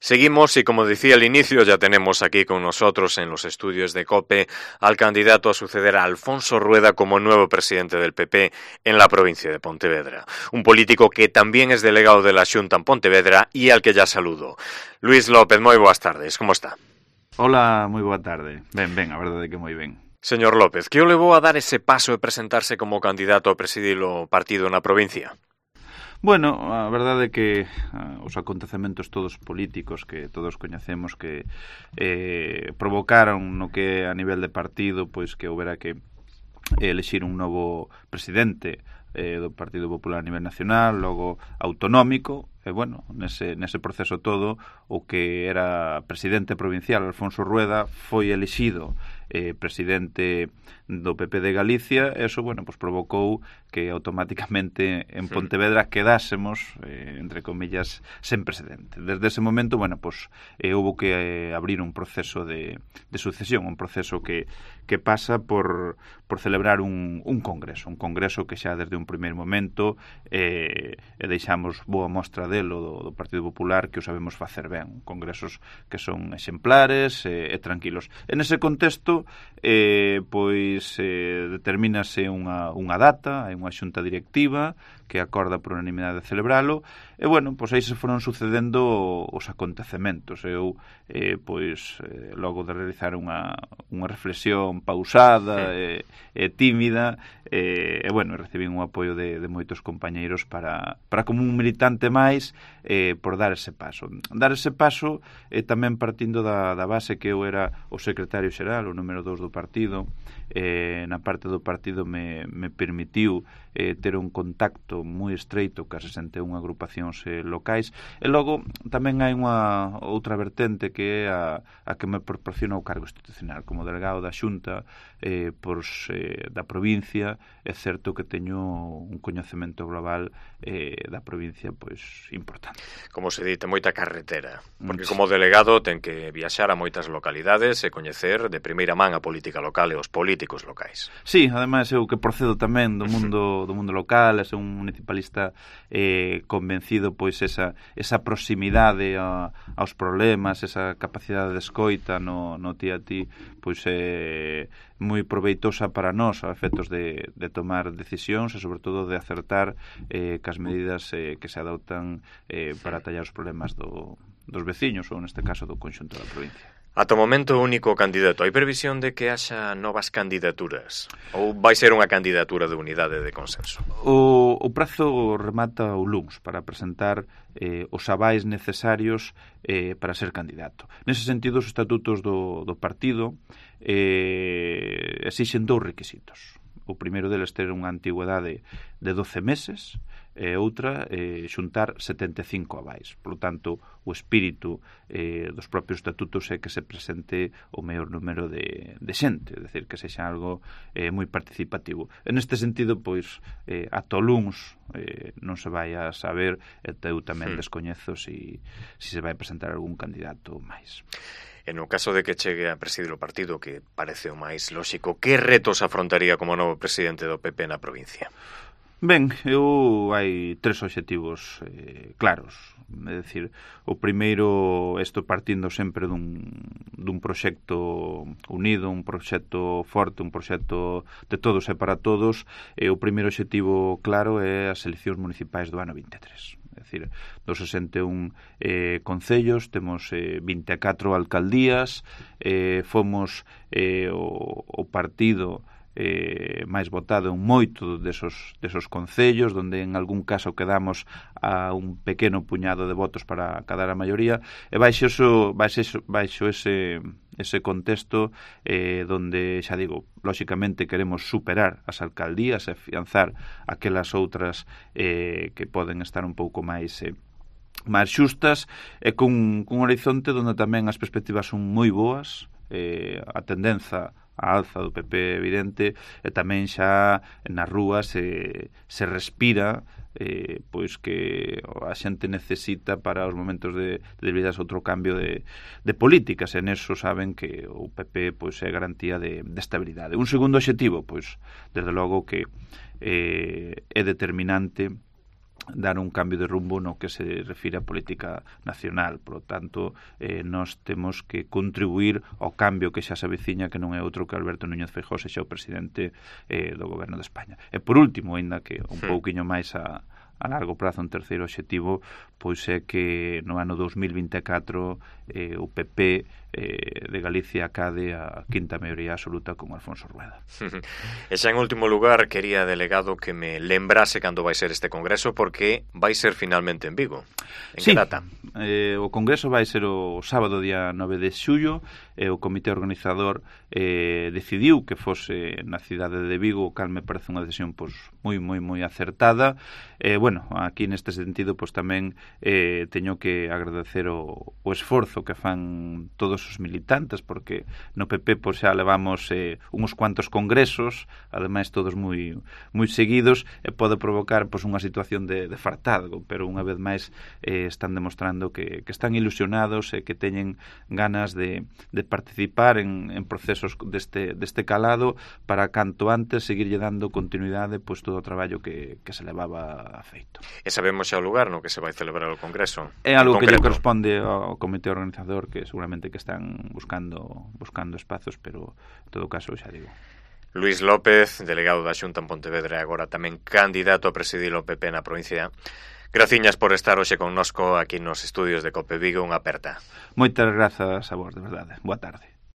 Seguimos y, como decía al inicio, ya tenemos aquí con nosotros en los estudios de COPE al candidato a suceder a Alfonso Rueda como nuevo presidente del PP en la provincia de Pontevedra. Un político que también es delegado de la Xunta en Pontevedra y al que ya saludo. Luís López, moi boas tardes, como está? Hola, moi boa tarde. Ben, a verdade é que moi ben. Señor López, que o levou a dar ese paso de presentarse como candidato a presidir o partido na provincia? Bueno, a verdade é que os acontecementos todos políticos que todos coñecemos que provocaron no que a nivel de partido pois que houbera que elixir un novo presidente do Partido Popular a nivel nacional, logo autonómico, e bueno, nese proceso todo o que era presidente provincial Alfonso Rueda foi elixido presidente do PP de Galicia, e eso, bueno, pues provocou que automáticamente en Pontevedra quedásemos, entre comillas, sen presidente. Desde ese momento, bueno, pues houve que abrir un proceso de sucesión, un proceso que pasa por celebrar un congreso que xa desde un primeiro momento deixamos boa mostra delo do Partido Popular que o sabemos facer ben, congresos que son exemplares e tranquilos. En ese contexto, determínase unha data, hai unha xunta directiva que acorda por unanimidade de celebralo, e bueno, pois aí se foron sucedendo os acontecementos. Eu, logo de realizar unha reflexión pausada e tímida, e bueno, recibín un apoio de moitos compañeiros para como un militante máis por dar ese paso. Dar ese paso tamén partindo da base que eu era o secretario xeral, o número 2 do partido, na parte do partido me permitiu ter un contacto moi estreito cas 61 agrupacións locais, e logo tamén hai unha outra vertente que é a que me proporciona o cargo institucional como delegado da Xunta da provincia. É certo que teño un coñecemento global da provincia pois importante. Como se dite, moita carretera, porque como delegado ten que viaxar a moitas localidades e coñecer de primeira man a política local e os políticos locais. Sí, ademais eu que procedo tamén do mundo local, é un municipalista convencido pois esa proximidade aos problemas, esa capacidade de escoita no ti a ti, pois é moi proveitosa para nós a efectos de tomar decisións e sobre todo de acertar cas medidas que se adoptan para atallar os problemas dos veciños ou neste caso do conxunto da provincia. Ata o momento único candidato. Hai previsión de que haxa novas candidaturas? Ou vai ser unha candidatura de unidade de consenso? O prazo remata o luns para presentar os avais necesarios para ser candidato. Nese sentido, os estatutos do partido exixen 2 requisitos. O primeiro deles ter unha antigüedade de 12 meses e outra xuntar 75 avais. Por lo tanto, o espírito dos propios estatutos é que se presente o maior número de xente, é dicir, que sexa algo moi participativo. En este sentido, pois, ata o luns non se vai a saber, e eu tamén descoñezo se se vai presentar algún candidato máis. En o caso de que chegue a presidir o partido, que parece o máis lóxico, que retos afrontaría como novo presidente do PP na provincia? Ben, hai 3 obxectivos claros. É dicir, o primeiro, estou partindo sempre dun proxecto unido, un proxecto forte, un proxecto de todos e para todos. O primeiro obxectivo claro é as eleccións municipais do ano 23. É dicir, dos 61 concellos temos 24 alcaldías, fomos o partido máis votado en moito desos concellos, donde en algún caso quedamos a un pequeno puñado de votos para cadar a maioría, e baixo ese contexto donde, xa digo, lóxicamente queremos superar as alcaldías e afianzar aquelas outras que poden estar un pouco máis xustas, e con un horizonte donde tamén as perspectivas son moi boas, a tendenza a alza do PP evidente, e tamén xa nas rúas se respira pois que a xente necesita para os momentos de debilidade outro cambio de políticas, e neso saben que o PP pois é garantía de estabilidade. Un segundo obxectivo, pois desde logo que é determinante dar un cambio de rumbo no que se refire a política nacional. Por lo tanto, nós temos que contribuir ao cambio que xa se aveciña, que non é outro que Alberto Núñez Feijóo sexa o presidente do Goberno de España. E por último, aínda que un pouquiño máis a largo prazo, un terceiro obxectivo, pois é que no ano 2024 o PP de Galicia acade a quinta maioría absoluta con Alfonso Rueda. E xa en último lugar, quería, delegado, que me lembrase cando vai ser este congreso, porque vai ser finalmente en Vigo. En que data? O congreso vai ser o sábado día 9 de xullo, e o comité organizador decidiu que fose na cidade de Vigo, o cal me parece unha decisión pois moi acertada. Bueno, aquí neste sentido pois tamén teño que agradecer o esforzo que fan todos os militantes, porque no PP pois xa levamos uns cuantos congresos, ademais todos moi seguidos, e pode provocar pois unha situación de fartazgo, pero unha vez máis están demostrando que están ilusionados e que teñen ganas de participar en procesos deste calado para canto antes seguirlle dando continuidade pois todo o traballo que se levaba feito. E sabemos xa o lugar no que se vai celebrar o congreso? É algo que lle corresponde ao comité organizador, que seguramente que están buscando espazos, pero en todo caso xa digo. Luís López, delegado da Xunta en Pontevedra e agora tamén candidato a presidir o PP na provincia. Graciñas por estar hoxe connosco aquí nos estudios de COPE Vigo, unha aperta. Moitas grazas a vos, de verdade. Boa tarde.